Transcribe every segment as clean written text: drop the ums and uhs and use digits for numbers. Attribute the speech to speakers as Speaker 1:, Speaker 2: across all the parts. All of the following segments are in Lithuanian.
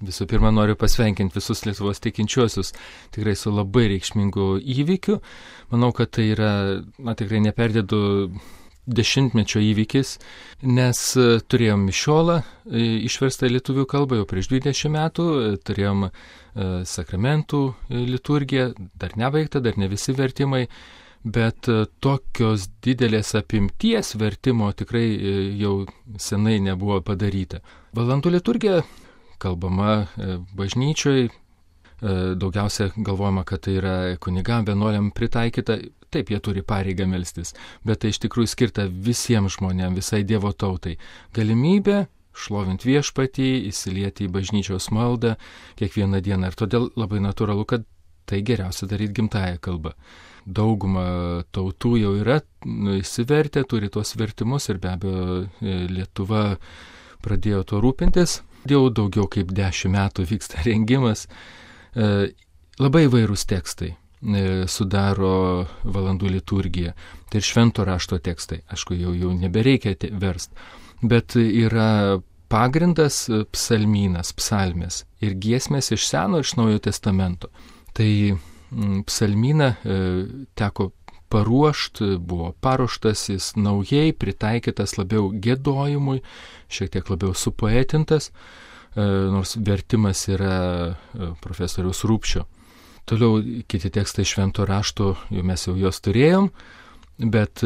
Speaker 1: Visų pirma, noriu pasveikinti visus Lietuvos tikinčiuosius tikrai su labai reikšmingu įvykiu. Manau, kad tai yra, tikrai neperdėdu dešimtmečio įvykis, nes turėjom mišiolą išverstą į lietuvių kalbą jau prieš 20 metų, turėjom sakramentų liturgiją, dar nebaigta, dar ne visi vertimai, bet tokios didelės apimties vertimo tikrai jau senai nebuvo padaryta. Valandų liturgija kalbama bažnyčioj, daugiausia galvojama, kad tai yra kunigam, vienuoliam pritaikyta. Taip, jie turi pareigą melstis, bet tai iš tikrųjų skirta visiems žmonėms, visai Dievo tautai. Galimybė šlovinti viešpatį, įsilieti į bažnyčios maldą kiekvieną dieną. Ir todėl labai natūralu, kad tai geriausia daryti gimtąją kalbą. Dauguma tautų jau yra įsivertę, turi tuos vertimus ir be abejo Lietuva pradėjo tuo rūpintis. Jau daugiau kaip 10 metų vyksta rengimas. Labai įvairūs tekstai sudaro valandų liturgiją. Tai ir švento rašto tekstai. Aišku, jau nebereikia verst. Bet yra pagrindas psalmynas, psalmės ir giesmės iš Seno ir iš Naujojo testamento. Tai psalmyną teko paruošti, buvo paruoštas, jis naujai pritaikytas labiau giedojimui, šiek tiek labiau supoetintas, nors vertimas yra profesoriaus Rupšio. Toliau kiti tekstai švento rašto, mes jau juos turėjom, bet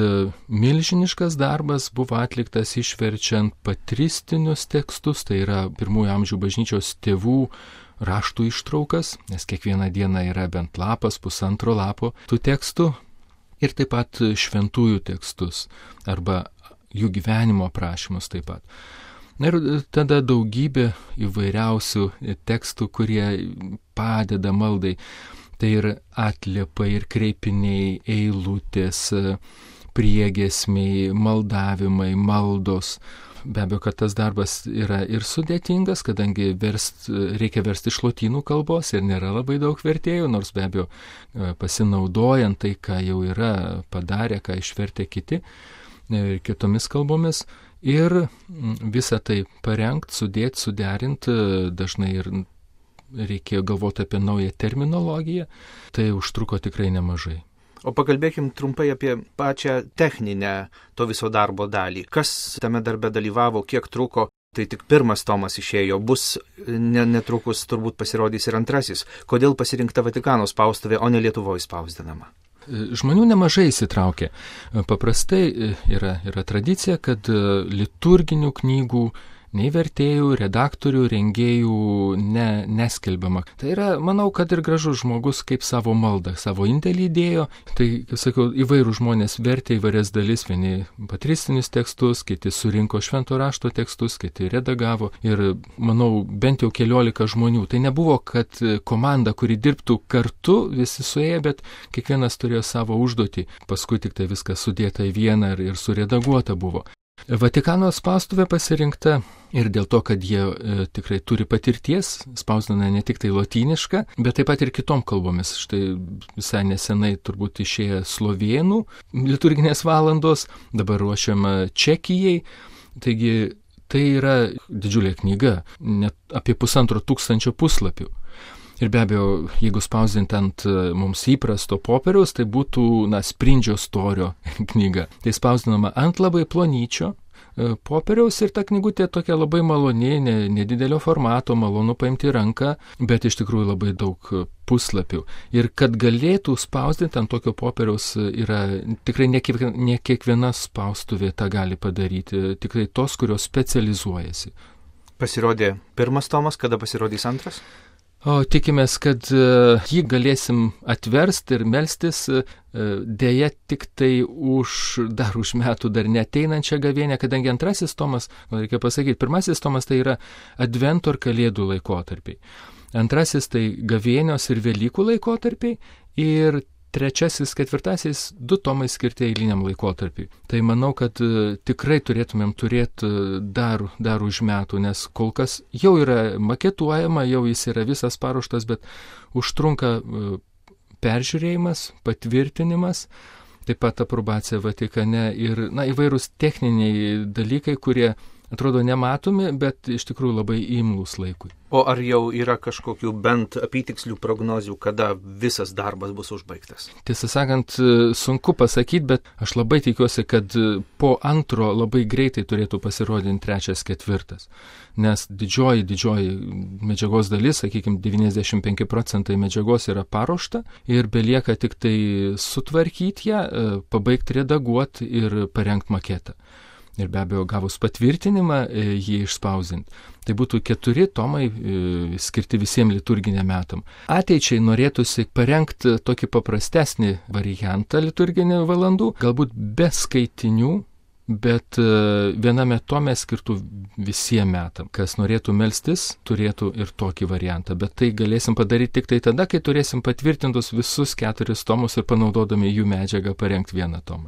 Speaker 1: milžiniškas darbas buvo atliktas išverčiant patristinius tekstus, tai yra pirmųjų amžių bažnyčios tėvų raštų ištraukas, nes kiekvieną dieną yra bent lapas, pusantro lapo tų tekstų, ir taip pat šventųjų tekstus arba jų gyvenimo aprašymus taip pat. Ir tada daugybė įvairiausių tekstų, kurie padeda maldai. Tai ir atliepai, ir kreipiniai, eilutės, priegiesmiai, maldavimai, maldos. Be abejo, kad tas darbas yra ir sudėtingas, kadangi reikia versti iš lotynų kalbos ir nėra labai daug vertėjų, nors be abejo pasinaudojant tai, ką jau yra padarę, ką išvertė kiti kitomis kalbomis. Ir visą tai parengti, sudėti, suderinti, dažnai ir reikėjo galvoti apie naują terminologiją, tai užtruko tikrai nemažai.
Speaker 2: O pakalbėkim trumpai apie pačią techninę to viso darbo dalį. Kas tame darbe dalyvavo, kiek truko, tai tik pirmas tomas išėjo, bus netrukus turbūt pasirodys ir antrasis. Kodėl pasirinkta Vatikano spaustuvė, o ne Lietuvoje spausdinama?
Speaker 1: Žmonių nemažai įsitraukė. Paprastai yra tradicija, kad liturginių knygų nei vertėjų, redaktorių, rengėjų neskelbiama. Tai yra, manau, kad ir gražus žmogus kaip savo maldą, savo indėlį įdėjo. Tai, kaip sakiau, įvairių žmonės vertė įvairias dalis, vieni patristinius tekstus, kiti surinko švento rašto tekstus, kiti redagavo. Ir, manau, bent jau 14 žmonių. Tai nebuvo, kad komanda, kuri dirbtų kartu, visi suėję, bet kiekvienas turėjo savo užduotį. Paskui tik tai viskas sudėta į vieną ir suredaguota buvo. Vatikano spaustuvė pasirinkta ir dėl to, kad jie tikrai turi patirties, spausdina ne tik tai lotynišką, bet taip pat ir kitom kalbomis. Štai visai nesenai turbūt išėjo slovėnų liturginės valandos, dabar ruošiama Čekijai. Taigi tai yra didžiulė knyga, net apie 1500 puslapių. Ir be abejo, jeigu spausdinti ant mums įprasto popieriaus, tai būtų sprindžio storio knyga. Tai spausdinama ant labai plonyčio popieriaus ir ta knygutė tokia labai maloni, nedidelio formato, malonu paimti ranką, bet iš tikrųjų labai daug puslapių. Ir kad galėtų spausdinti ant tokio popieriaus yra tikrai ne kiekviena spaustuvė tą gali padaryti, tikrai tos, kurios specializuojasi.
Speaker 2: Pasirodė pirmas tomas, kada pasirodys antras?
Speaker 1: O tikimės, kad jį galėsim atversti ir melstis dėja tik tai dar už metų dar neateinančią gavėnią, kadangi antrasis tomas, reikia pasakyti, pirmasis tomas tai yra Advento ir Kalėdų laikotarpiai. Antrasis tai gavėnios ir Velykų laikotarpiai ir trečiasis, ketvirtasis 2 tomai skirti eiliniam laikotarpiui. Tai manau, kad tikrai turėtumėm turėti dar už metų, nes kol kas jau yra maketuojama, jau jis yra visas paruoštas, bet užtrunka peržiūrėjimas, patvirtinimas, taip pat aprobacija Vatikane ir įvairūs techniniai dalykai, kurie atrodo nematomi, bet iš tikrųjų labai imlūs laikui.
Speaker 2: O ar jau yra kažkokių bent apytikslių prognozių, kada visas darbas bus užbaigtas?
Speaker 1: Tiesą sakant, sunku pasakyti, bet aš labai tikiuosi, kad po antro labai greitai turėtų pasirodyti 3, 4. Nes didžioji medžiagos dalis, sakykime, 95% medžiagos yra paruošta ir belieka tik tai sutvarkyti ją, pabaigti redaguoti ir parengti maketą. Ir be abejo, gavus patvirtinimą, jį išspausinti. Tai būtų 4 tomai skirti visiems liturginiam metam. Ateičiai norėtųsi parengti tokį paprastesnį variantą liturginių valandų, galbūt be skaitinių, bet viename tome skirtų visiems metam. Kas norėtų melstis, turėtų ir tokį variantą. Bet tai galėsim padaryti tik tai tada, kai turėsim patvirtintus visus 4 tomus ir panaudodami jų medžiagą parengti vieną tomą.